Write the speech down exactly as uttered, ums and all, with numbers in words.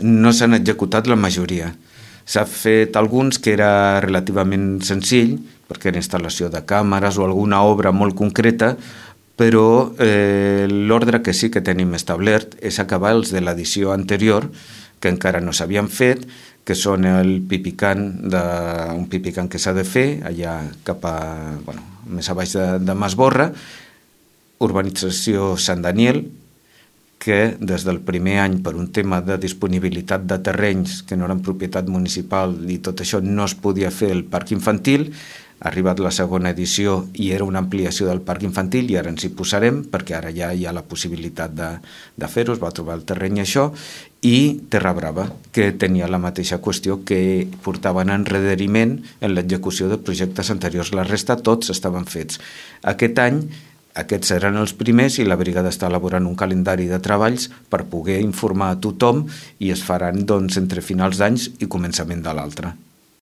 No s'han executat la majoria. S'ha fet alguns que era relativament senzill, perquè era instal·lació de càmeres o alguna obra molt concreta, però eh, l'ordre que sí que tenim establert és acabar els de l'edició anterior, que encara no s'havien fet, que són el pipicant, de, un pipicant que s'ha de fer, allà cap a, bueno, més a baix de, de Masborra, urbanització Sant Daniel, que des del primer any, per un tema de disponibilitat de terrenys que no eren propietat municipal i tot això, no es podia fer el parc infantil. Ha arribat la segona edició i era una ampliació del parc infantil i ara ens hi posarem perquè ara ja hi ha la possibilitat de, de fer-ho, es va trobar el terreny això, i Terra Brava, que tenia la mateixa qüestió, que portaven enrederiment en l'execució de projectes anteriors. La resta tots estaven fets. Aquest any aquests seran els primers i la brigada està elaborant un calendari de treballs per poder informar a tothom i es faran doncs, entre finals d'anys i començament de l'altre.